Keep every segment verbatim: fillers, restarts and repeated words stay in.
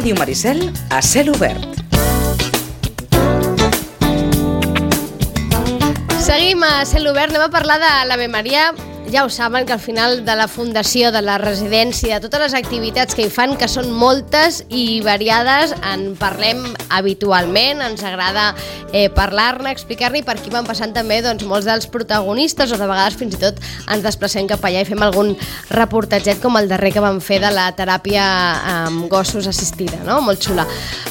Ràdio Maricel a cel obert. Seguim a cel obert, anem a parlar de l'Ave Maria. Ja ho saben que al final de la fundació, de la residència, de totes les activitats que hi fan, que són moltes i variades, en parlem habitualment, ens agrada eh, parlar-ne, explicar-ne, i per aquí van passant també doncs, molts dels protagonistes, o de vegades fins i tot ens desplacem cap allà i fem algun reportatget com el darrer que vam fer de la teràpia amb gossos assistida, no? Molt xula.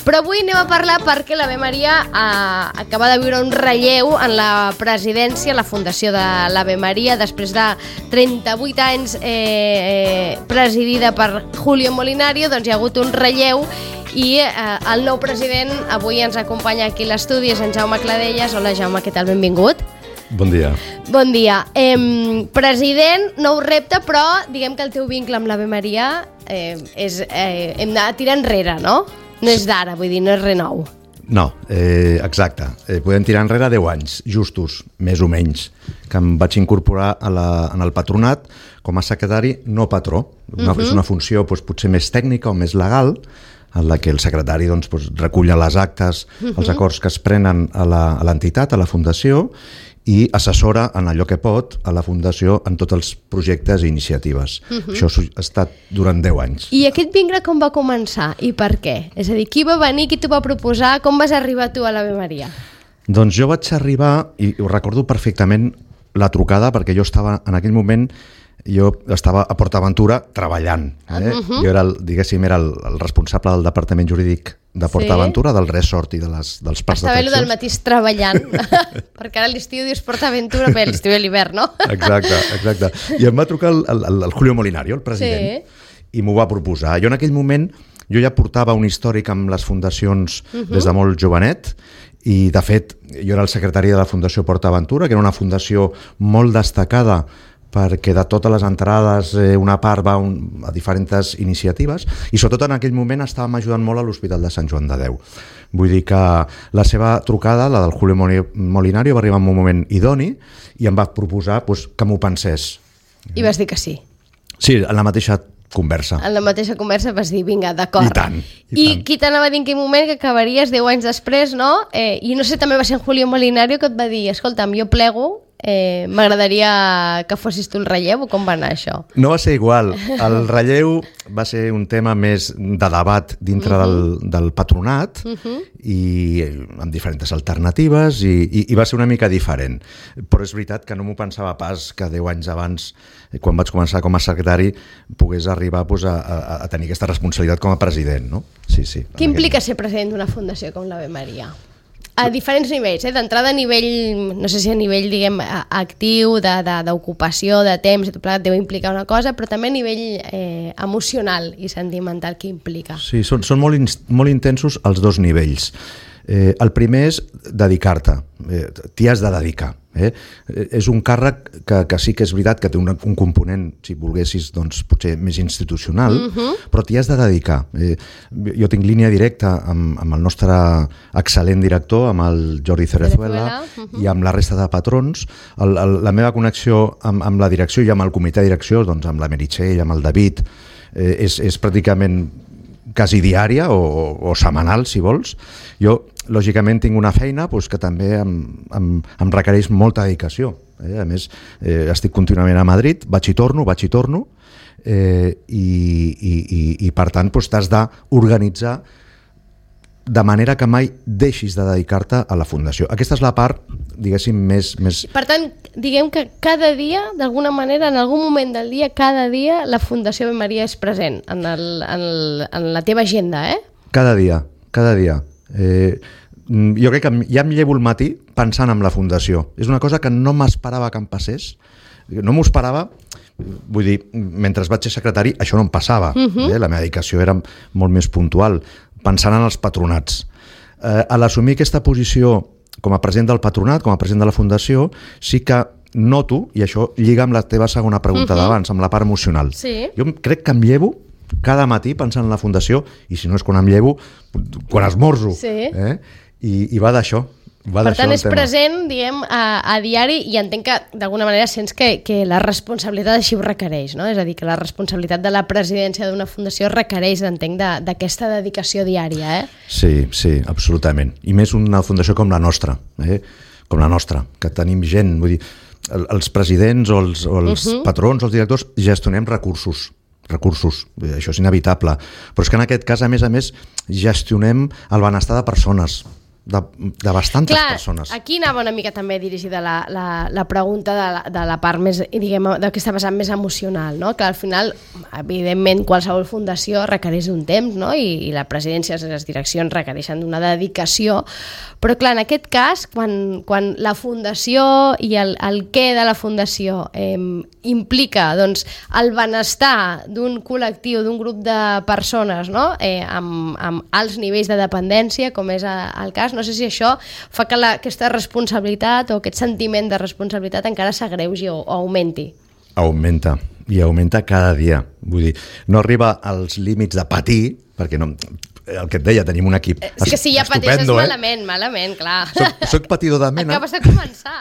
Però avui anem a parlar perquè l'Ave Maria eh, acaba de viure un relleu en la presidència, la fundació de l'Ave Maria, després de trenta-vuit anys eh, eh, presidida per Julio Molinari, doncs hi ha hagut un relleu i eh, el nou president avui ens acompanya aquí a l'estudi, és en Jaume Cladellas. Hola Jaume, què tal? Benvingut. Bon dia. Bon dia. Eh, president, nou repte, però diguem que el teu vincle amb l'Ave Maria eh, és, eh, hem de tirar enrere, no? No és d'ara, vull dir, no és res nou. No, eh, exacte. Eh, podem tirar enrere deu anys, justos, més o menys, que em vaig incorporar a la, en el patronat com a secretari no patró. Una, uh-huh. És una funció doncs, potser més tècnica o més legal, en la que el secretari doncs, doncs, recull les actes, uh-huh. els acords que es prenen a l'entitat, a la fundació, i assessora en allò que pot a la fundació en tots els projectes i iniciatives. Uh-huh. Això ha estat durant deu anys. I aquest vincle com va començar i per què? És a dir, qui va venir, qui t'ho va proposar, com vas arribar tu a l'Ave Maria? Doncs jo vaig arribar, i ho recordo perfectament, la trucada, perquè jo estava en aquell moment, jo estava a PortAventura treballant. Eh? Uh-huh. Jo era, el, diguéssim, era el, el responsable del departament jurídic de PortAventura, sí. Del resort i de les, dels parcs d'atraccions. Estava del mateix treballant, perquè ara l'estiu dius PortAventura, bé, l'estiu i l'hivern, no? Exacte, exacte. I em va trucar el, el, el Julio Molinari, el president, sí. I m'ho va proposar. Jo en aquell moment, jo ja portava un històric amb les fundacions uh-huh. des de molt jovenet, i de fet, jo era el secretari de la Fundació PortAventura, que era una fundació molt destacada perquè de totes les entrades eh, una part va un, a diferents iniciatives, i sobretot en aquell moment estàvem ajudant molt a l'Hospital de Sant Joan de Déu. Vull dir que la seva trucada, la del Julio Molinari, va arribar en un moment idoni i em va proposar pues, que m'ho pensés. I vas dir que sí? Sí, en la mateixa conversa. En la mateixa conversa vas dir, vinga, d'acord. I tant. I, I tant. qui t'anava a dir en quin moment que acabaries deu anys després, no? Eh, I no sé, també va ser en Julio Molinari que et va dir, escolta'm, jo plego, eh, m'agradaria que fossis tu el relleu, o com va anar això? No va ser igual. El relleu va ser un tema més de debat dintre uh-huh. del, del patronat uh-huh. i amb diferents alternatives i, i, i va ser una mica diferent. Però és veritat que no m'ho pensava pas que deu anys abans, quan vaig començar com a secretari, pogués arribar pues, a, a, a tenir aquesta responsabilitat com a president. No? Sí, sí. Què implica ser president d'una fundació com l'Ave Maria? A diferents nivells, eh? D'entrada a nivell, no sé si a nivell, diguem, actiu, d'ocupació, de, de, de temps, i tot plegat deu implicar una cosa, però també a nivell eh, emocional i sentimental, què implica? Sí, són, són molt, in, molt intensos els dos nivells. Eh, el primer és dedicar-te, eh, t'hi has de dedicar. Eh? És un càrrec que, que sí que és veritat que té un, un component, si volguessis, doncs, potser més institucional, uh-huh. però t'hi has de dedicar. Eh, jo tinc línia directa amb, amb el nostre excel·lent director, amb el Jordi Cerezuela, uh-huh. i amb la resta de patrons. El, el, la meva connexió amb, amb la direcció i amb el comitè de direcció, doncs, amb la Meritxell, amb el David, eh, és, és pràcticament quasi diària o, o setmanal, si vols. Jo, lògicament, tinc una feina doncs, que també em, em, em requereix molta dedicació. Eh? A més, eh, estic contínuament a Madrid, vaig i torno, vaig i torno, eh, i, i, i, i per tant doncs, t'has d'organitzar de manera que mai deixis de dedicar-te a la fundació. Aquesta és la part, diguéssim, més... més... Per tant, diguem que cada dia, d'alguna manera, en algun moment del dia, cada dia, la Fundació Ave Maria és present en, el, en, el, en la teva agenda, eh? Cada dia, cada dia. Eh, jo crec que ja em llevo el matí pensant en la fundació. És una cosa que no m'esperava que em passés. No m'ho esperava, vull dir, mentre vaig ser secretari, això no em passava. Uh-huh. eh? La meva dedicació era molt més puntual, pensant en els patronats. Eh, a l'assumir aquesta posició com a president del patronat, com a president de la fundació, sí que noto, i això lliga amb la teva segona pregunta uh-huh. d'abans, amb la part emocional. Sí. Jo crec que em llevo cada matí pensant en la fundació, i si no és quan em llevo, quan esmorzo. Sí. Eh? I, I va d'això. Va per tant, és tema. present, diguem, a, a diari, i entenc que, d'alguna manera, sents que, que la responsabilitat així ho requereix, no? És a dir, que la responsabilitat de la presidència d'una fundació requereix, entenc, d'aquesta de, dedicació diària, eh? Sí, sí, absolutament. I més una fundació com la nostra, eh? Com la nostra, que tenim gent, vull dir, el, els presidents o els, o els uh-huh. patrons o els directors gestionem recursos, recursos, això és inevitable, però és que en aquest cas, a més a més, gestionem el benestar de persones, de, de bastantes Clar, persones. Aquí anava una mica també dirigida la, la, la pregunta de la, de la part més, diguem, d'aquesta vessant més emocional, no? Que al final, evidentment, qualsevol fundació requereix d'un temps, no? I, i la presidència, les direccions requereixen d'una dedicació, però clar, en aquest cas, quan, quan la fundació i el, el què de la fundació eh, implica, doncs, el benestar d'un col·lectiu, d'un grup de persones, no? Eh, amb, amb alts nivells de dependència, com és el cas, no sé si això fa que la, aquesta responsabilitat o aquest sentiment de responsabilitat encara s'agreugi o, o augmenti. Augmenta, i augmenta cada dia. Vull dir, no arriba als límits de patir, perquè no, el que et deia, tenim un equip és que si ja pateixes eh? malament, malament, clar. Soc, soc patidor de mena. Acabes de començar.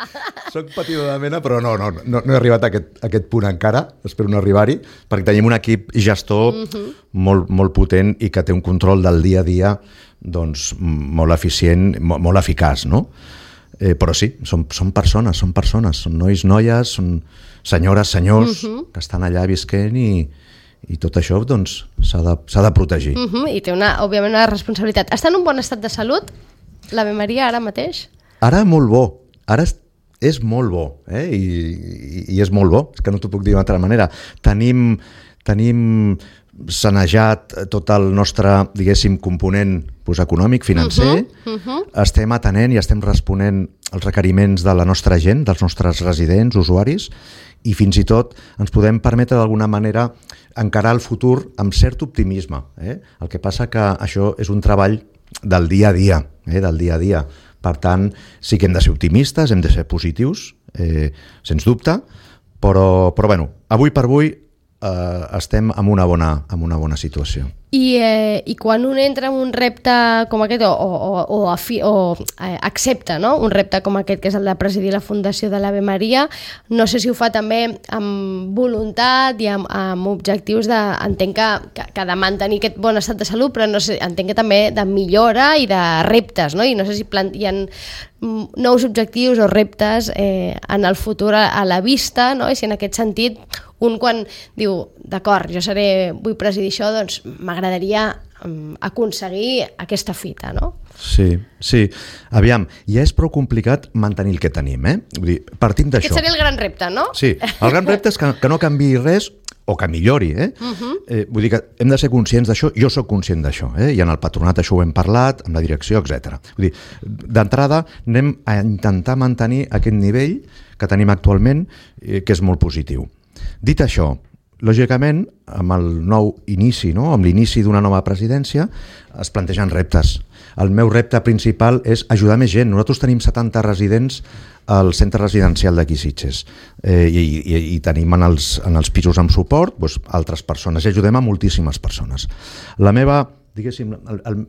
Soc patidor de mena, però no, no, no, no he arribat a aquest, a aquest punt encara, espero no arribar-hi, perquè tenim un equip gestor uh-huh. molt, molt potent i que té un control del dia a dia doncs molt eficient, molt, molt eficaç, no? Eh, però sí, són, són persones, són persones, són nois, noies, són senyores, senyors uh-huh. que estan allà visquent i, i tot això doncs s'ha de, s'ha de protegir. Uh-huh. I té una, òbviament, una responsabilitat. Està en un bon estat de salut, l'Ave Maria, ara mateix? Ara molt bo, ara és, és molt bo, eh? I, i, i és molt bo, és que no t'ho puc dir d'una altra manera. Tenim, tenim sanejat tot el nostre, diguéssim, component doncs, econòmic, financer, uh-huh, uh-huh. estem atenent i estem responent als requeriments de la nostra gent, dels nostres residents, usuaris, i fins i tot ens podem permetre d'alguna manera encarar el futur amb cert optimisme. Eh? El que passa que això és un treball del dia a dia, eh? del dia a dia. Per tant, sí que hem de ser optimistes, hem de ser positius, eh, sens dubte, però, però bueno, avui per avui Uh, estem en una bona, en una bona situació. I, eh, I quan un entra en un repte com aquest o, o, o, afi, o eh, accepta, no? Un repte com aquest que és el de presidir la Fundació de l'Ave Maria, no sé si ho fa també amb voluntat i amb, amb objectius de, entenc que, que, que de mantenir aquest bon estat de salut, però no sé, entenc que també de millora i de reptes, no? I no sé si plant, hi ha nous objectius o reptes eh, en el futur a, a la vista, no? I si en aquest sentit un quan diu, d'acord, jo seré, vull presidir això, doncs m'agradaria um, aconseguir aquesta fita, no? Sí, sí. Aviam, ja és prou complicat mantenir el que tenim, eh? Vull dir, partim d'això. Aquest seria el gran repte, no? Sí, el gran repte és que, que no canviï res o que millori, eh? Uh-huh. eh? Vull dir que hem de ser conscients d'això, jo sóc conscient d'això, eh? I en el patronat això ho hem parlat, amb la direcció, etcètera. Vull dir, d'entrada anem a intentar mantenir aquest nivell que tenim actualment, eh, que és molt positiu. Dit això, lògicament, amb el nou inici, no? Amb l'inici d'una nova presidència, es plantegen reptes. El meu repte principal és ajudar més gent. Nosaltres tenim setanta residents al centre residencial d'aquí Sitges eh, i, i, i tenim en els, en els pisos amb suport doncs, altres persones i ajudem a moltíssimes persones. La meva, diguéssim, el, el,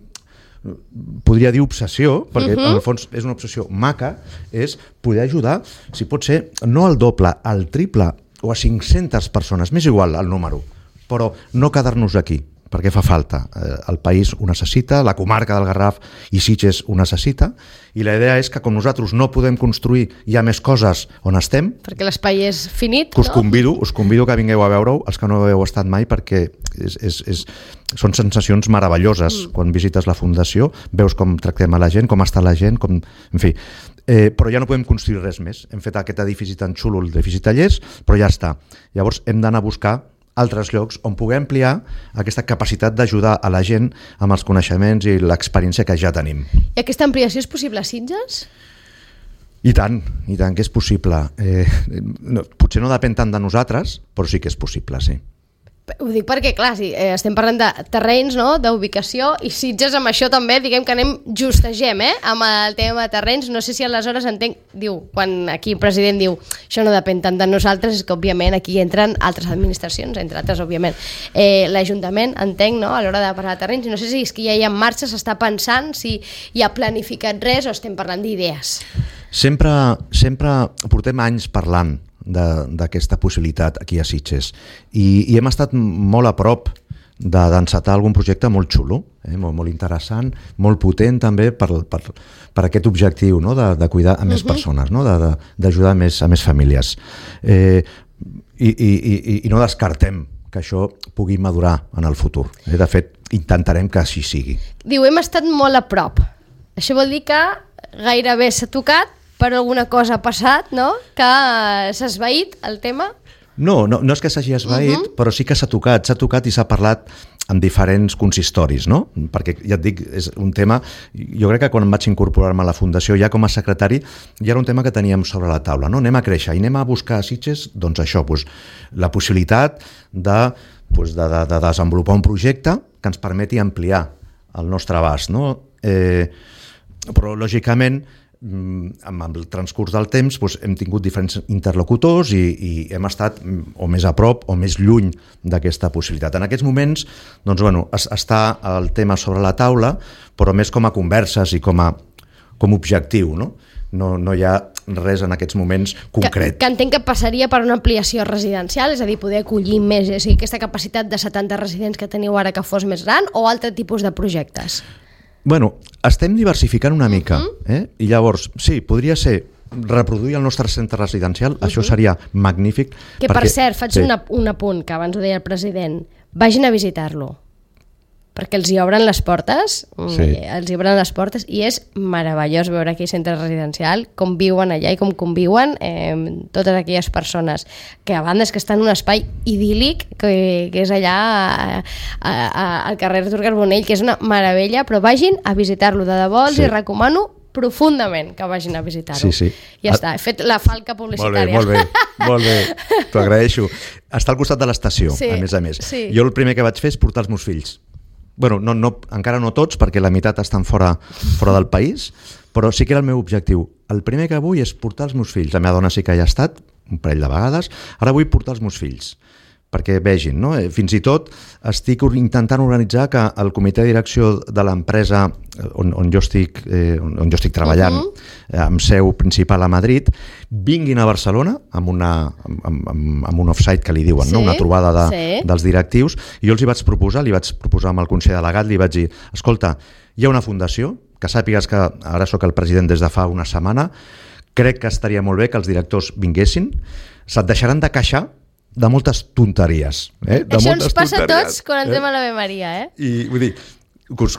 podria dir obsessió, perquè uh-huh. en el fons és una obsessió maca, és poder ajudar, si pot ser, no al doble, al triple o a cinc-centes persones, m'és igual el número, però no quedar-nos aquí, perquè fa falta. El país ho necessita, la comarca del Garraf i Sitges ho necessita, i la idea és que com nosaltres no podem construir ja més coses on estem, perquè l'espai és finit, us no? convido, us convido que vingueu a veure-ho, els que no heu estat mai, perquè és, és, és, són sensacions meravelloses. Mm. Quan visites la fundació, veus com tractem a la gent, com està la gent, com... en fi... Eh, però ja no podem construir res més. Hem fet aquest edifici tan xulo, l'edifici Tallers, però ja està. Llavors hem d'anar a buscar altres llocs on poder ampliar aquesta capacitat d'ajudar a la gent amb els coneixements i l'experiència que ja tenim. I aquesta ampliació és possible a Sitges? I tant, i tant que és possible. Eh, no, potser no depèn tant de nosaltres, però sí que és possible, sí. Ho dic perquè, clar, sí, eh, estem parlant de terrenys, no?, d'ubicació, i Sitges amb això també, diguem que anem justegem, eh?, amb el tema de terrenys. No sé si aleshores entenc, diu, quan aquí el president diu això no depèn tant de nosaltres, és que òbviament aquí entren altres administracions, entre altres, òbviament, eh, l'Ajuntament, entenc, no?, a l'hora de parlar de terrenys. No sé si és que ja hi ha en marxa, s'està pensant, si hi ha planificat res o estem parlant d'idees. Sempre, sempre portem anys parlant d'aquesta possibilitat aquí a Sitges i, i hem estat molt a prop de d'encetar algun projecte molt xulo, eh? molt, molt interessant, molt potent també per, per, per aquest objectiu, no? de, de cuidar a més uh-huh. persones, no? d'ajudar a més, a més famílies. Eh, i, i, i, I no descartem que això pugui madurar en el futur. Eh? De fet, intentarem que així sigui. Diu, hem estat molt a prop. Això vol dir que gairebé s'ha tocat, però alguna cosa ha passat, no?, que s'ha esvaït el tema? No, no, no és que s'hagi esvaït, uh-huh. però sí que s'ha tocat, s'ha tocat i s'ha parlat en diferents consistoris, no? Perquè, ja et dic, és un tema... Jo crec que quan em vaig incorporar-me a la Fundació, ja com a secretari, ja era un tema que teníem sobre la taula, no? Anem a créixer i anem a buscar a Sitges, doncs això, doncs, la possibilitat de, doncs, de, de, de desenvolupar un projecte que ens permeti ampliar el nostre abast, no? Eh, però, lògicament, amb el transcurs del temps doncs, hem tingut diferents interlocutors i, i hem estat o més a prop o més lluny d'aquesta possibilitat. En aquests moments doncs, bueno, es, està el tema sobre la taula, però més com a converses i com a com a objectiu, no? No, no hi ha res en aquests moments concret. Que, que entenc que passaria per una ampliació residencial, és a dir, poder acollir més, és a dir, aquesta capacitat de setanta residents que teniu ara que fos més gran, o altre tipus de projectes? Bueno, estem diversificant una mica, uh-huh. eh? I llavors, sí, podria ser reproduir el nostre centre residencial, uh-huh. això seria magnífic. Que perquè, per cert, faig sí. una, un apunt, que abans ho deia el president, vagin a visitar-lo, perquè els hi obren les portes, sí. els hi obren les portes, i és meravellós veure aquell centre residencial, com viuen allà i com conviuen eh, totes aquelles persones, que a banda és que estan en un espai idíl·lic, que, que és allà a, a, a, al carrer Artur Carbonell, que és una meravella, però vagin a visitar-lo, de debò els sí. hi recomano profundament que vagin a visitar-ho. Sí, sí. Ja està, he fet la falca publicitària. Molt bé, molt bé, molt bé. T'ho agraeixo. Està al costat de l'estació, sí. a més a més. Sí. Jo el primer que vaig fer és portar els meus fills. Bueno, no, no, encara no tots, perquè la meitat estan fora, fora del país, però sí que era el meu objectiu. El primer que vull és portar els meus fills. La meva dona sí que hi ha estat, un parell de vegades. Ara vull portar els meus fills, perquè vegin, no? Fins i tot estic intentant organitzar que el comitè de direcció de l'empresa on, on, jo estic, eh, on jo estic treballant, uh-huh. amb seu principal a Madrid, vinguin a Barcelona amb, una, amb, amb, amb un off-site que li diuen, sí, no? Una trobada de, sí. dels directius, i jo els hi vaig proposar, li vaig proposar amb el Consell Delegat, li vaig dir, escolta, hi ha una fundació, que sàpigues que ara sóc el president des de fa una setmana, crec que estaria molt bé que els directors vinguessin, se't deixaran de queixar de moltes tonteries. Eh? De Això moltes ens passa tonteries, a tots quan entrem eh? a l'Ave Maria, eh? I vull dir,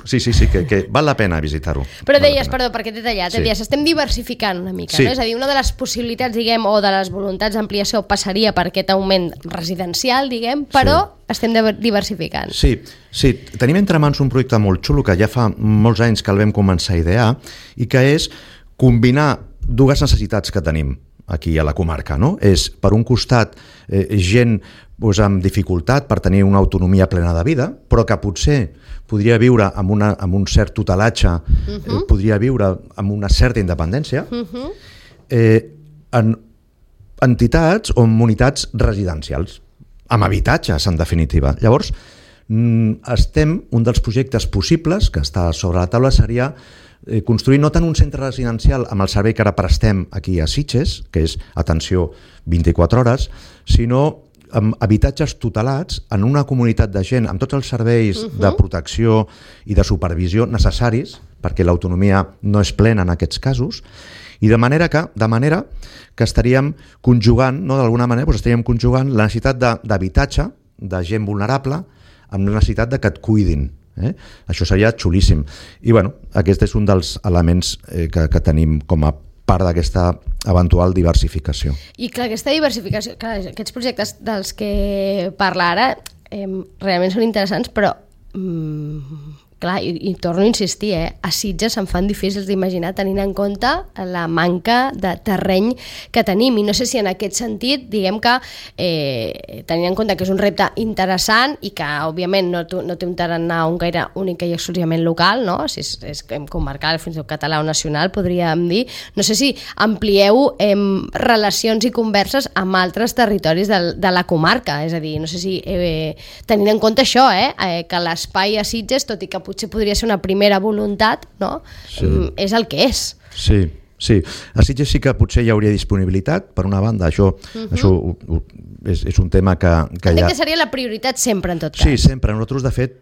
sí, sí, sí, que, que val la pena visitar-ho. Però deies, perdó, perquè t'he tallat, sí. deies, estem diversificant una mica, sí. no? És a dir, una de les possibilitats, diguem, o de les voluntats d'ampliació passaria per aquest augment residencial, diguem, però sí. estem diversificant. Sí, sí, tenim entre mans un projecte molt xulo que ja fa molts anys que el vam començar a idear i que és combinar dues necessitats que tenim aquí a la comarca, no? És, per un costat, eh, gent doncs, amb dificultat per tenir una autonomia plena de vida, però que potser podria viure amb, una, amb un cert tutelatge, uh-huh. eh, podria viure amb una certa independència, uh-huh. eh, en entitats o en unitats residencials, amb habitatges, en definitiva. Llavors, estem, un dels projectes possibles que està sobre la taula seria construir no tant un centre residencial amb el servei que ara prestem aquí a Sitges, que és atenció vint-i-quatre hores, sinó amb habitatges tutelats en una comunitat de gent amb tots els serveis uh-huh. de protecció i de supervisió necessaris, perquè l'autonomia no és plena en aquests casos, i de manera que, de manera que estaríem conjugant, no, d'alguna manera, doncs estaríem conjugant la necessitat d'habitatge de gent vulnerable amb la necessitat de que et cuidin. Eh? Això seria xulíssim. I bueno, aquest és un dels elements eh, que, que tenim com a part d'aquesta eventual diversificació. I clar, aquesta diversificació, clar, aquests projectes dels que parla ara eh, realment són interessants, però mm, clar, i, i torno a insistir, eh? A Sitges se'n fan difícils d'imaginar tenint en compte la manca de terreny que tenim, i no sé si en aquest sentit, diguem que eh, tenint en compte que és un repte interessant i que òbviament no, no té un tarannà un gaire únic i exclusivament local, no? Si és, és comarcal, fins i tot català o nacional, podríem dir, no sé si amplieu eh, relacions i converses amb altres territoris de, de la comarca, és a dir, no sé si eh, tenint en compte això, eh, eh, que l'espai a Sitges, tot i que potser podria ser una primera voluntat, no? Sí. És el que és. Sí, sí. A Sitges sí que potser hi hauria disponibilitat, per una banda, això, uh-huh. això és, és un tema que, que Entenc ja... que seria la prioritat sempre, en tot cas. Sí, sempre. Nosaltres, de fet,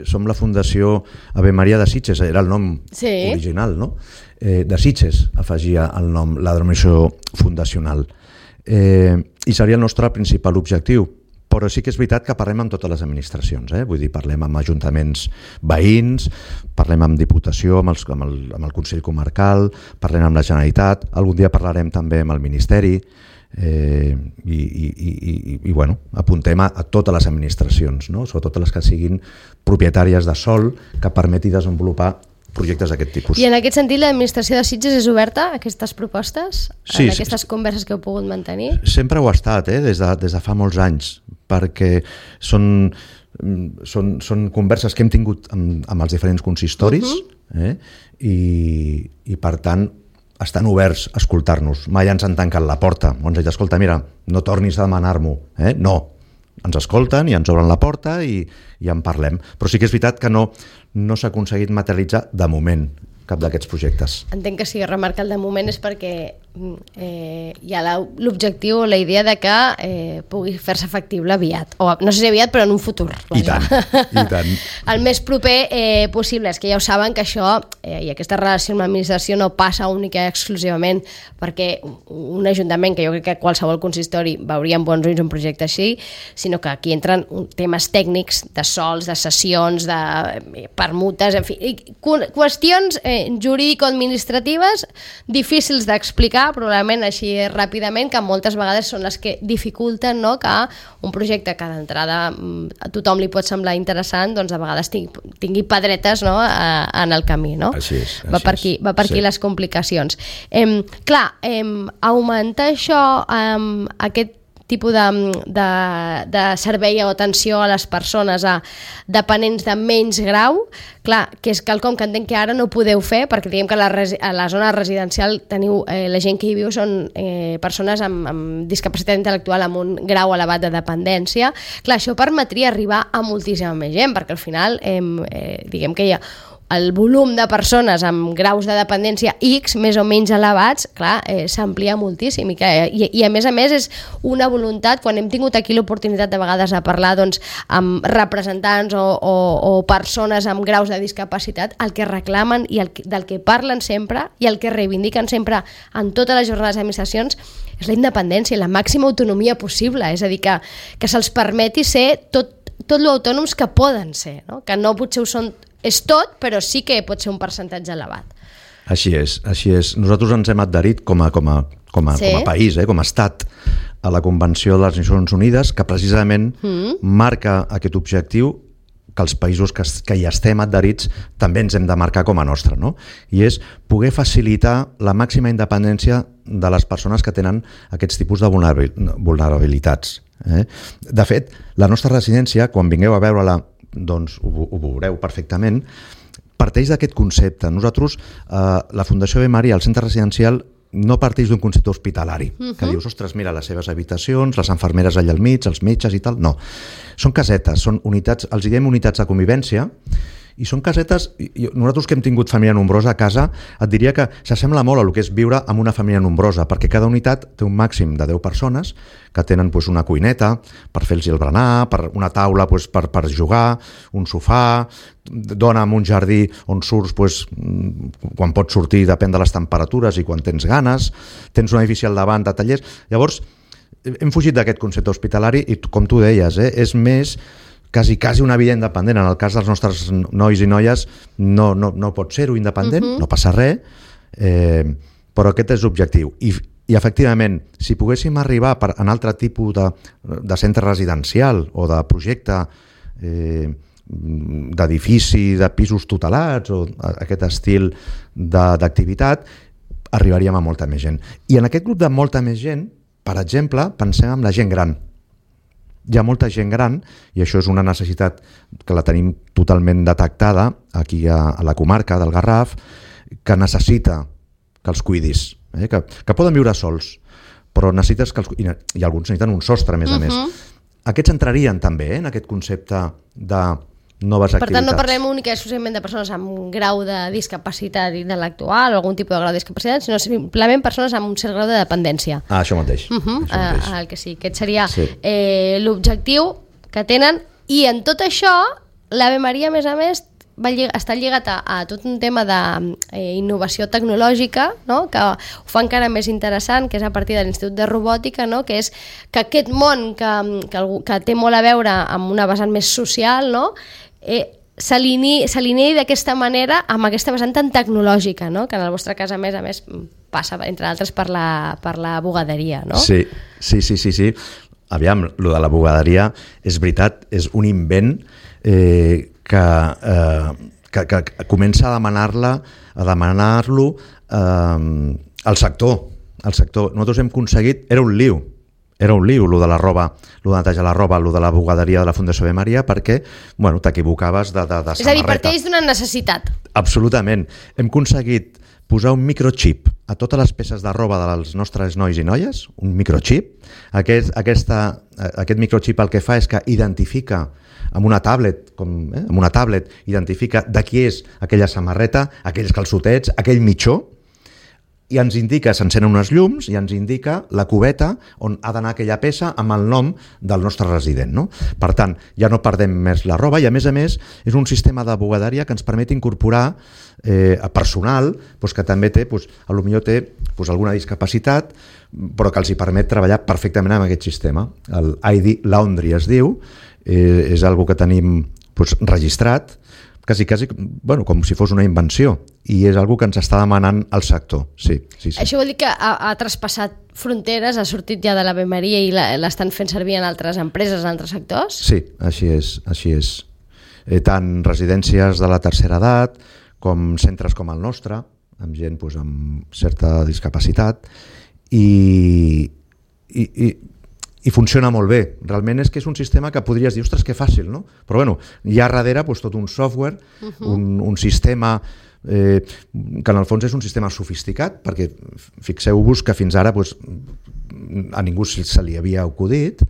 som la Fundació Ave Maria de Sitges, era el nom sí. original, no? Eh, de Sitges afegia el nom, la denominació fundacional. Eh, I seria el nostre principal objectiu. Però sí que és veritat que parlem amb totes les administracions, eh? Vull dir, parlem amb ajuntaments veïns, parlem amb Diputació, amb, els, amb, el, amb el Consell Comarcal, parlem amb la Generalitat, algun dia parlarem també amb el Ministeri, eh, i, i, i, i, i bueno, apuntem a, a totes les administracions, no? Sobretot les que siguin propietàries de sòl que permeti desenvolupar projectes d'aquest tipus. I en aquest sentit l'administració de Sitges és oberta a aquestes propostes? Sí, en aquestes sí, converses que heu pogut mantenir? Sempre ho ha estat, eh? des, de, des de fa molts anys, perquè són, són, són converses que hem tingut amb, amb els diferents consistoris, uh-huh. eh? I, i per tant estan oberts a escoltar-nos. Mai ens han tancat la porta, o ens han dit, escolta, mira, no tornis a demanar-m'ho. Eh? No, ens escolten i ens obren la porta i, i en parlem. Però sí que és veritat que no, no s'ha aconseguit materialitzar de moment cap d'aquests projectes. Entenc que si remarca el de moment és perquè eh, hi ha l'objectiu o la idea de que eh, pugui fer-se factible aviat, o no sé si aviat però en un futur. I tant, i tant. El més proper eh, possible, és que ja ho saben que això eh, i aquesta relació amb l'administració no passa única i exclusivament perquè un ajuntament, que jo crec que qualsevol consistori veuria amb bons ulls un projecte així, sinó que aquí entren temes tècnics de sols, de sessions, de permutes, en fi, qüestions eh, jurídico-administratives difícils d'explicar, probablement així ràpidament, que moltes vegades són les que dificulten, no?, que un projecte que d'entrada a tothom li pot semblar interessant, doncs a vegades tingui, tingui pedretes, no?, a, en el camí, no? Així és. Així va per aquí, va per aquí sí. Les complicacions. Eh, clar, eh, augmentar això, eh, aquest tipus de, de, de servei o atenció a les persones a dependents de menys grau, clar, que és quelcom que entenc que ara no podeu fer, perquè diguem que a la, a la zona residencial teniu, eh, la gent que hi viu són eh, persones amb, amb discapacitat intel·lectual amb un grau elevat de dependència. Clar, això permetria arribar a moltíssima més gent, perquè al final eh, eh, diguem que hi ha el volum de persones amb graus de dependència X, més o menys elevats, clar, eh, s'amplia moltíssim i, que, i, i a més a més és una voluntat, quan hem tingut aquí l'oportunitat de vegades de parlar doncs, amb representants o, o, o persones amb graus de discapacitat, el que reclamen i el, del que parlen sempre i el que reivindiquen sempre en totes les jornades d'administracions és la independència i la màxima autonomia possible, és a dir, que, que se'ls permeti ser tot, tot lo autònoms que poden ser, no? Que no potser ho són és tot, però sí que pot ser un percentatge elevat. Així és, així és. Nosaltres ens hem adherit com a, com a, com a, sí. com a país, eh, com a estat, a la Convenció de les Nacions Unides, que precisament mm. marca aquest objectiu que els països que, que hi estem adherits també ens hem de marcar com a nostre, no? I és poder facilitar la màxima independència de les persones que tenen aquests tipus de vulnerabilitats. Eh? De fet, la nostra residència, quan vingueu a veure-la, doncs ho, ho veureu perfectament, parteix d'aquest concepte. Nosaltres, eh, la Fundació Ave Maria, el centre residencial, no parteix d'un concepte hospitalari, uh-huh. que dius, ostres, mira, les seves habitacions, les infermeres allà al mig, els metges i tal. No, són casetes, són unitats, els diem unitats de convivència, i són casetes, i nosaltres que hem tingut família nombrosa a casa, et diria que s'assembla molt a el que és viure amb una família nombrosa, perquè cada unitat té un màxim de deu persones que tenen pues, una cuineta per fer-los el berenar, per una taula pues, per, per jugar, un sofà, dona amb un jardí on surts pues, quan pots sortir, depèn de les temperatures i quan tens ganes, tens un edifici al davant de tallers. Llavors, hem fugit d'aquest concepte hospitalari i, com tu deies, eh, és més quasi, quasi una vida independent. En el cas dels nostres nois i noies no, no, no pot ser-ho independent, uh-huh. no passa res, eh, però aquest és l'objectiu. I, i efectivament, si poguéssim arribar per, en altre tipus de, de centre residencial o de projecte eh, d'edifici, de pisos tutelats o aquest estil d'activitat, arribaríem a molta més gent. I en aquest grup de molta més gent, per exemple, pensem en la gent gran. Hi ha molta gent gran, i això és una necessitat que la tenim totalment detectada aquí a, a la comarca del Garraf, que necessita que els cuidis, eh? que, que poden viure sols, però necessites que els, i, i alguns necessiten un sostre, a més a més. Uh-huh. Aquests entrarien també eh, en aquest concepte de noves activitats. Per tant, no parlem únicament i exclusivament de persones amb un grau de discapacitat intel·lectual o algun tipus de grau de discapacitat, sinó simplement persones amb un cert grau de dependència. Ah, això mateix. Uh-huh. Això mateix. Uh, el que sí, aquest seria sí. eh, l'objectiu que tenen, i en tot això l'Ave Maria, a més a més, va llig- està lligat a, a tot un tema d'innovació eh, tecnològica, no? Que ho fa encara més interessant, que és a partir de l'Institut de Robòtica, no? Que és que aquest món que, que, algú, que té molt a veure amb una vessant més social, no? eh, s'alinei d'aquesta manera amb aquesta vessant tan tecnològica, no? Que en el vostre cas, a més a més, passa, entre altres, per la, per la bugaderia, no? Sí, sí, sí, sí, sí. Aviam, lo de la bugaderia és veritat, és un invent eh, que, eh, que, que comença a demanar-la a demanar-lo eh, al sector, al sector. Nosaltres hem aconseguit, era un liu, era un liu, lo de la roba, lo de netejar la roba, lo de la bugaderia de la Fundació Ave Maria, perquè, bueno, t'equivocaves de, de, de samarreta. És a dir, parteix d'una necessitat. Absolutament. Hem aconseguit posar un microchip a totes les peces de roba dels nostres nois i noies, un microchip. Aquest, aquesta, aquest microchip el que fa és que identifica amb una tablet, com, eh, amb una tablet identifica de qui és aquella samarreta, aquells calçotets, aquell mitjó, i ens indica, s'encenen unes llums i ens indica la cubeta on ha d'anar aquella peça amb el nom del nostre resident, no? Per tant, ja no perdem més la roba i, a més a més, és un sistema de bugaderia que ens permet incorporar eh, a personal doncs, que també té, doncs, a lo millor té doncs, alguna discapacitat, però que els hi permet treballar perfectament amb aquest sistema. El I D Laundry es diu, eh, és algo que tenim doncs, registrat, quasi, quasi, bueno, com si fos una invenció, i és algo que ens està demanant el sector. Sí, sí, sí. Això vol dir que ha, ha traspassat fronteres, ha sortit ja de l'Ave Maria i l'estan fent servir en altres empreses, en altres sectors? Sí, així és, així és. Eh, tant residències de la tercera edat com centres com el nostre, amb gent doncs, amb certa discapacitat, i, i, i i funciona molt bé. Realment és que és un sistema que podries dir, ostres, que fàcil, no? Però bueno, hi ha darrere doncs, tot un software, uh-huh. un, un sistema eh, que en el fons és un sistema sofisticat, perquè fixeu-vos que fins ara doncs, a ningú se li havia acudit,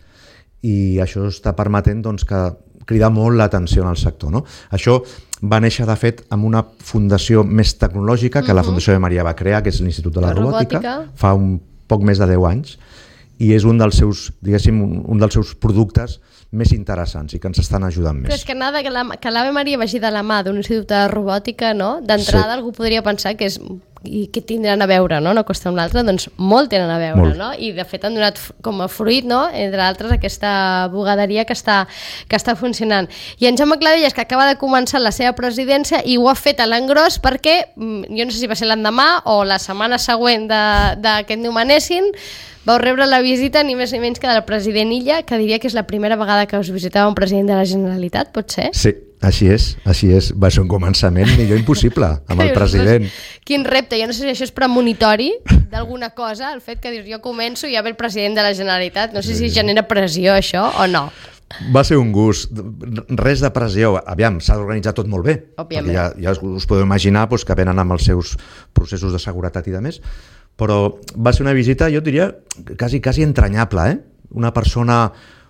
i això està permetent doncs, que cridar molt l'atenció en el sector, no? Això va néixer, de fet, amb una fundació més tecnològica que uh-huh. la Fundació Ave Maria va crear, que és l'Institut de la, la Robòtica, robòtica, fa un poc més de deu anys, i és un dels seus, diguéssim, un dels seus productes més interessants i que ens estan ajudant més. Però és que nada, que l'Ave Maria vagi de la mà d'un institut de robòtica, no? D'entrada sí. Algú podria pensar que és i que tindran a veure, no? No costa un altre, doncs molt tenen a veure, molt. No? I de fet han donat com a fruit, no? Entre altres, aquesta bugaderia que està, que està funcionant. I en Jaume Clavelles, que acaba de començar la seva presidència i ho ha fet a l'engròs perquè, jo no sé si va ser l'endemà o la setmana següent de, de que et nomenessin, vau rebre la visita ni més ni menys que del president Illa, que diria que és la primera vegada que us visitava un president de la Generalitat, pot ser? Sí, així és, així és. Va ser un començament millor impossible amb el president. Quin repte, jo no sé si això és premonitori d'alguna cosa, el fet que dius jo començo i ja ve el president de la Generalitat, no sé si genera pressió això o no. Va ser un gust, res de pressió, aviam, s'ha d'organitzar tot molt bé, òbviament. Ja, ja us podeu imaginar doncs, que venen amb els seus processos de seguretat i de més, però va ser una visita, jo diria, quasi, quasi entranyable, eh? Una persona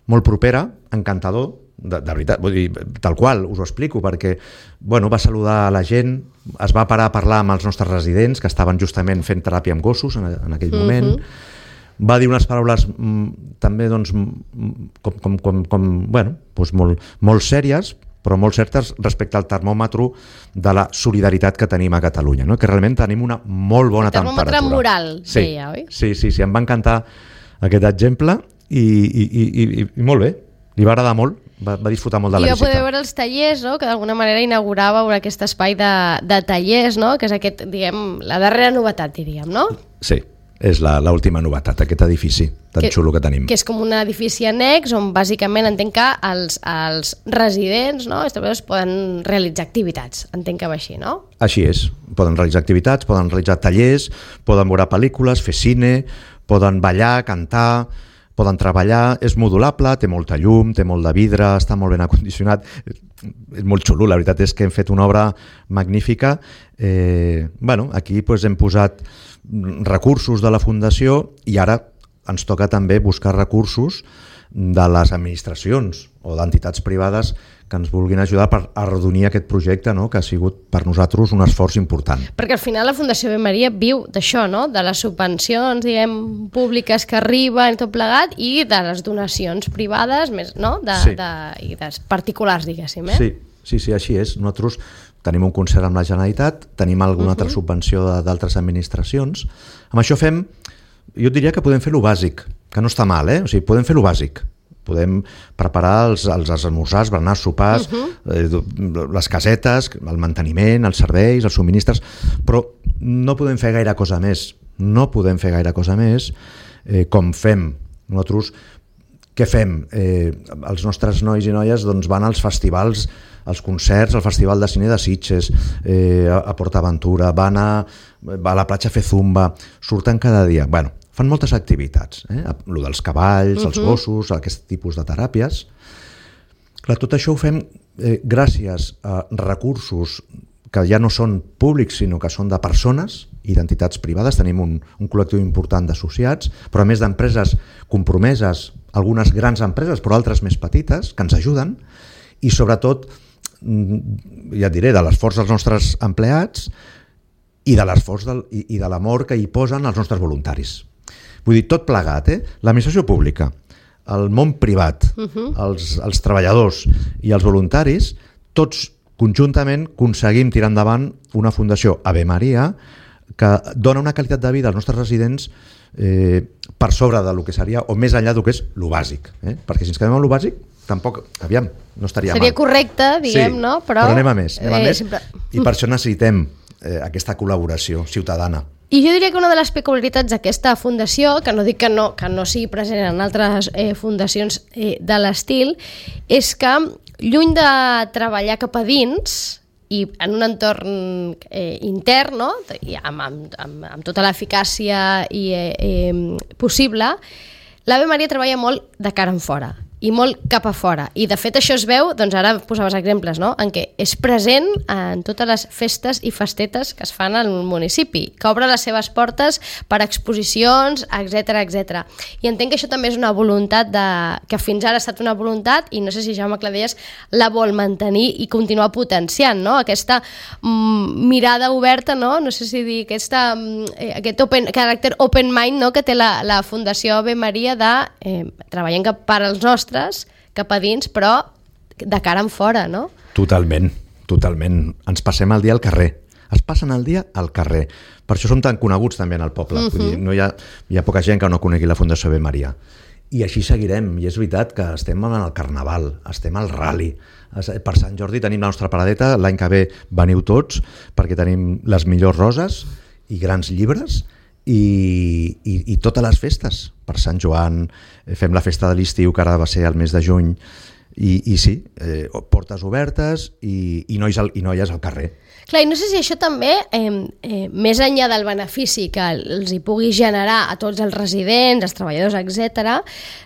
molt propera, encantador, de, de veritat, vull dir, tal qual, us ho explico, perquè bueno, va saludar a la gent, es va parar a parlar amb els nostres residents, que estaven justament fent teràpia amb gossos en, en aquell mm-hmm. moment, va dir unes paraules mm, també doncs, com, com, com, com, bueno, doncs molt, molt sèries, però molt certes respecte al termòmetre de la solidaritat que tenim a Catalunya, no? Que realment tenim una molt bona temperatura. El termòmetre moral, sí, deia, oi? Sí, sí, sí, em va encantar aquest exemple i, i, i, i, i molt bé, li va agradar molt, va, va disfrutar molt de la I visita. I va poder veure els tallers, no? Que d'alguna manera inaugurava aquest espai de, de tallers, no? Que és aquest, diguem, la darrera novetat, diríem, no? Sí, és l'última novetat, aquest edifici tan que, xulo que tenim. Que és com un edifici annex on bàsicament entenc que els, els residents, no, els treballadors poden realitzar activitats, entenc que va així, no? Així és, poden realitzar activitats, poden realitzar tallers, poden veure pel·lícules, fer cine, poden ballar, cantar, poden treballar, és modulable, té molta llum, té molt de vidre, està molt ben acondicionat, és molt xulo, la veritat és que hem fet una obra magnífica. Eh, bueno, aquí pues, hem posat recursos de la Fundació i ara ens toca també buscar recursos de les administracions o d'entitats privades que ens vulguin ajudar per arrodonir aquest projecte, no? Que ha sigut per nosaltres un esforç important. Perquè al final la Fundació Ave Maria viu d'això, no? De les subvencions, diguem, públiques que arriben i tot plegat i de les donacions privades, més, no? De, sí. de, i de particulars, diguéssim, eh? Sí, sí, sí, així és. Nosaltres tenim un concert amb la Generalitat, tenim alguna uh-huh. altra subvenció d'altres administracions. Amb això fem, jo diria que podem fer lo bàsic, que no està mal, eh? O sigui, podem fer lo bàsic. Podem preparar els, els esmorzars, berenars, sopars, uh-huh. eh, les casetes, el manteniment, els serveis, els subministres, però no podem fer gaire cosa més. No podem fer gaire cosa més eh, com fem. Nosaltres, què fem? Eh, els nostres nois i noies doncs, van als festivals, als concerts, al Festival de Cine de Sitges, eh, a, a PortAventura, van a, a la platja a fer zumba, surten cada dia. Bueno, fan moltes activitats, eh? Lo dels cavalls, uh-huh. els gossos, aquest tipus de teràpies. Clar, tot això ho fem eh, gràcies a recursos que ja no són públics, sinó que són de persones i d'entitats privades. Tenim un, un col·lectiu important d'associats, però a més d'empreses compromeses, algunes grans empreses, però altres més petites, que ens ajuden, i sobretot, ja et diré, de l'esforç dels nostres empleats i de l'esforç del, i, i de l'amor que hi posen els nostres voluntaris. Vull dir, tot plegat, eh? L'administració pública, el món privat, uh-huh. els, els treballadors i els voluntaris, tots conjuntament aconseguim tirar endavant una fundació Ave Maria que dona una qualitat de vida als nostres residents eh, per sobre del que seria, o més enllà del que és lo bàsic. Eh? Perquè si ens quedem amb lo bàsic, tampoc, aviam, no estaria Seria mal. Seria correcte, diguem, sí, no? Però, però anem a més, anem a eh, més sempre... i per això necessitem eh, aquesta col·laboració ciutadana. I jo diria que una de les peculiaritats d'aquesta fundació, que no dic que no, que no sigui present en altres eh, fundacions eh, de l'estil, és que lluny de treballar cap a dins i en un entorn eh, intern, no? I amb, amb, amb, amb tota l'eficàcia i, eh, eh, possible, l'Ave Maria treballa molt de cara en fora i molt cap a fora. I de fet això es veu, doncs ara posaves exemples, no? En què és present en totes les festes i festetes que es fan al municipi, que obre les seves portes per exposicions, etcètera, etcètera. I entenc que això també és una voluntat de, que fins ara ha estat una voluntat, i no sé si Jaume Cladelles la vol mantenir i continuar potenciant, no? Aquesta mm, mirada oberta, no? No sé si dir aquesta, eh, aquest open, caràcter open mind, no? Que té la, la Fundació Ave Maria de eh, treballant cap per als nostres cap a dins, però de cara en fora, no? Totalment, totalment. Ens passem el dia al carrer. Es passen el dia al carrer. Per això som tan coneguts també en el poble. Uh-huh. Vull dir, no hi ha, hi ha poca gent que no conegui la Fundació Ave Maria. I així seguirem. I és veritat que estem en el Carnaval, estem al Rally. Per Sant Jordi tenim la nostra paradeta, l'any que ve veniu tots, perquè tenim les millors roses i grans llibres, I, i, i totes les festes. Per Sant Joan fem la festa de l'estiu, que ara va ser el mes de juny, i, i sí, eh, portes obertes i, i, nois al, i noies al carrer. Clar, i no sé si això també, eh, eh, més enllà del benefici que els hi pugui generar a tots els residents, els treballadors, etcètera,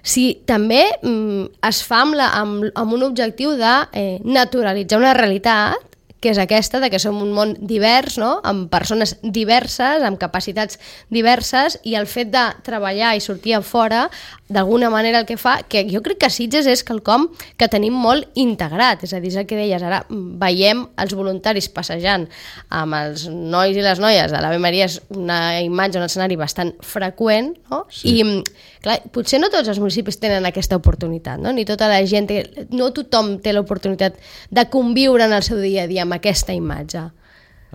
si també mm, es fa amb, la, amb, amb un objectiu de eh, naturalitzar una realitat que és aquesta, de que som un món divers, no? Amb persones diverses, amb capacitats diverses, i el fet de treballar i sortir a fora, d'alguna manera el que fa, que jo crec que Sitges és quelcom que tenim molt integrat, és a dir, és el que deies, ara veiem els voluntaris passejant amb els nois i les noies de l'Ave Maria, és una imatge, un escenari bastant freqüent, no? Sí. I clar, potser no tots els municipis tenen aquesta oportunitat, no? Ni tota la gent, té, no tothom té l'oportunitat de conviure en el seu dia a dia amb aquesta imatge.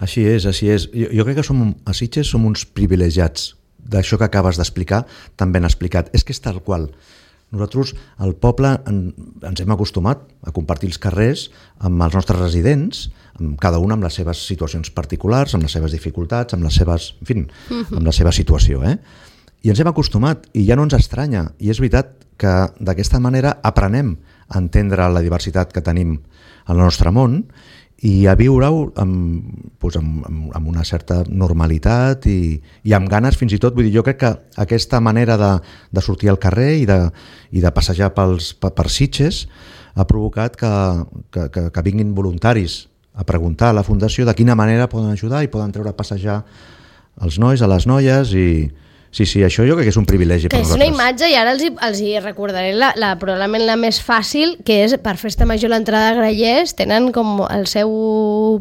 Així és, així és. Jo, jo crec que som, a Sitges som uns privilegiats d'això que acabes d'explicar, tan ben explicat. És que és tal qual. Nosaltres, al poble, en, ens hem acostumat a compartir els carrers amb els nostres residents, amb cada un amb les seves situacions particulars, amb les seves dificultats, amb les seves, en fi, amb la seva situació, eh? i ens hem acostumat i ja no ens estranya, i és veritat que d'aquesta manera aprenem a entendre la diversitat que tenim al nostre món i a viure-ho amb, doncs amb, amb una certa normalitat i, i amb ganes fins i tot. Vull dir, jo crec que aquesta manera de, de sortir al carrer i de, i de passejar pels, per, per Sitges ha provocat que, que, que, que vinguin voluntaris a preguntar a la Fundació de quina manera poden ajudar i poden treure a passejar els nois, a les noies i... Sí, sí, això jo crec que és un privilegi per nosaltres. Que és una imatge, i ara els hi, els hi recordaré la, la, probablement la més fàcil, que és per Festa Major l'entrada a Grallers, tenen com el seu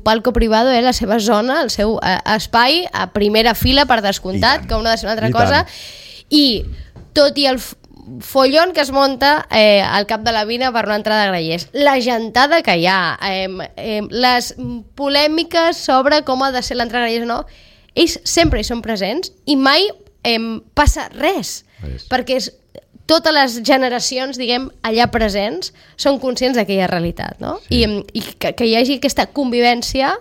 palco privado, eh, la seva zona, el seu eh, espai, a primera fila per descomptat, que una ha de ser una altra I cosa, tant. I tot i el follon que es monta eh, al cap de la Vina per una entrada a Grallers, la gentada que hi ha, eh, eh, les polèmiques sobre com ha de ser l'entrada a Grallers o no, ells sempre hi són presents i mai Em, passa res, res, perquè és, totes les generacions, diguem, allà presents, són conscients d'aquella realitat, no? Sí. I, i que, que hi hagi aquesta convivència,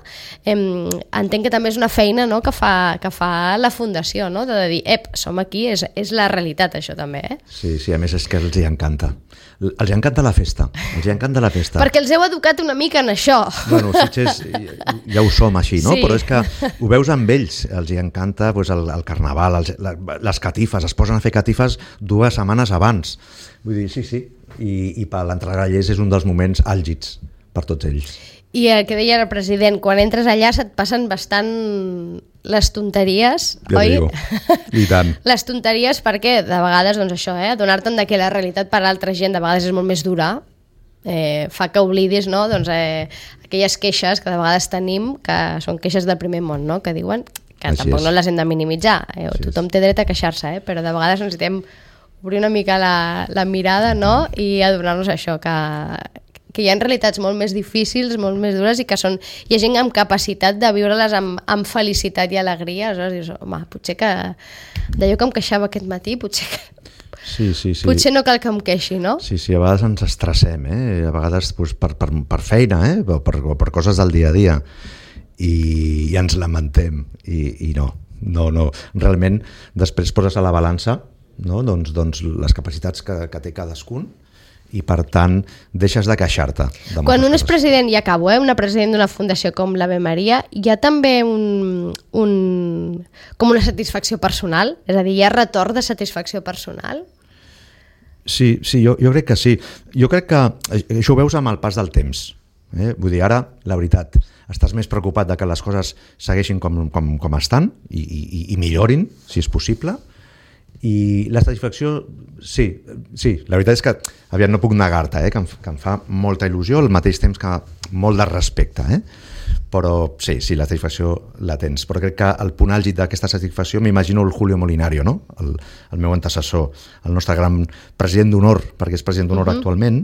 em, entenc que també és una feina, no?, que fa, que fa la Fundació, no?, de dir, ep, som aquí, és, és la realitat, això també, eh? Sí, sí, a més és que els hi encanta. Els hi encanta la festa, els hi encanta la festa. Perquè els heu educat una mica en això. Bueno, Sitges ja ho som així, no? Sí. Però és que ho veus amb ells, els hi encanta pues, el, el carnaval, els, les catifes, es posen a fer catifes dues setmanes abans. Vull dir, sí, sí, i, i per l'entrada a Grallers és un dels moments àlgids per tots ells. I el que deia el president, quan entres allà se't passen bastant les tonteries, ja oi? Digo. I tant. Les tonteries perquè de vegades, doncs això, eh, donar-te'n que la realitat per a l'altra gent de vegades és molt més dura, eh, fa que oblidis, no?, doncs, eh, aquelles queixes que de vegades tenim, que són queixes del primer món, no?, que diuen que Així tampoc és. No les hem de minimitzar, eh? Tothom té dret a queixar-se, eh? Però de vegades necessitem obrir una mica la, la mirada, no?, i adonar-nos això, que que hi ha realitats molt més difícils, molt més dures i que són, hi ha gent amb capacitat de viure-les amb, amb felicitat i alegria. Aleshores dius, home, potser que d'allò que em queixava aquest matí, potser que sí, sí, sí. potser no cal que em queixi, no? Sí, sí, a vegades ens estressem, eh? A vegades doncs, per, per, per feina, eh? per, per coses del dia a dia i, i ens lamentem i, i no, no, no. Realment després poses a la balança, no? doncs, doncs les capacitats que, que té cadascun i per tant deixes de queixar-te. Quan un és president, i acabo, eh, una president d'una fundació com l'Ave Maria, hi ha també un, un, com una satisfacció personal? És a dir, hi ha retorn de satisfacció personal? Sí, sí, jo, jo crec que sí. Jo crec que això ho veus amb el pas del temps. Eh? Vull dir, ara, la veritat, estàs més preocupat de que les coses segueixin com, com, com estan i, i, i millorin, si és possible. I la satisfacció, sí, sí, la veritat és que aviat no puc negar-te, eh, que, em, que em fa molta il·lusió, al mateix temps que molt de respecte, eh? Però sí, sí, la satisfacció la tens, però crec que el punt àlgid d'aquesta satisfacció m'imagino el Julio Molinario, no? el, el meu antecessor, el nostre gran president d'honor, perquè és president d'honor uh-huh. actualment,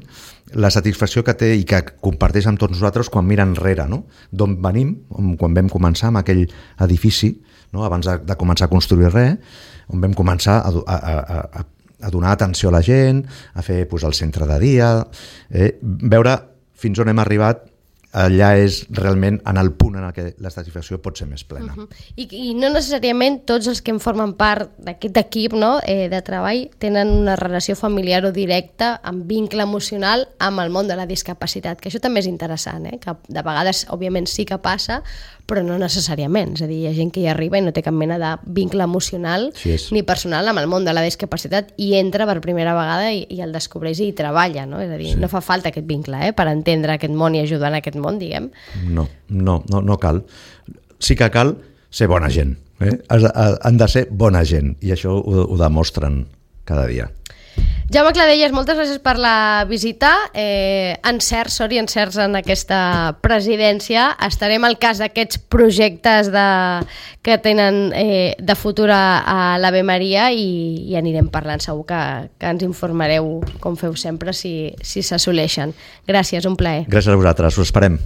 la satisfacció que té i que comparteix amb tots nosaltres quan mira enrere, no? D'on venim, quan vam començar amb aquell edifici, no? Abans de, de començar a construir res, on vam començar a, a, a, a, a donar atenció a la gent, a fer pues, el centre de dia, eh? Veure fins on hem arribat, allà és realment en el punt en què la satisfacció pot ser més plena. Uh-huh. I, I no necessàriament tots els que en formen part d'aquest equip, no, eh, de treball tenen una relació familiar o directa amb vincle emocional amb el món de la discapacitat, que això també és interessant, eh, que de vegades òbviament sí que passa, però no necessàriament, és a dir, hi ha gent que hi arriba i no té cap mena de vincle emocional sí ni personal amb el món de la discapacitat i entra per primera vegada i, i el descobreix i hi treballa, no? És a dir, sí. no fa falta aquest vincle, eh, per entendre aquest món i ajudar en aquest món, diguem. No, no, no, no cal. Sí que cal ser bona gent, eh? Han de ser bona gent i això ho, ho demostren cada dia. Jaume Cladelles, moltes gràcies per la visita. Eh, encerts, sort i encerts en aquesta presidència. Estarem al cas d'aquests projectes de, que tenen eh, de futur a l'Ave Maria i, i anirem parlant. Segur que, que ens informareu, com feu sempre, si, si s'assoleixen. Gràcies, un plaer. Gràcies a vosaltres, us esperem.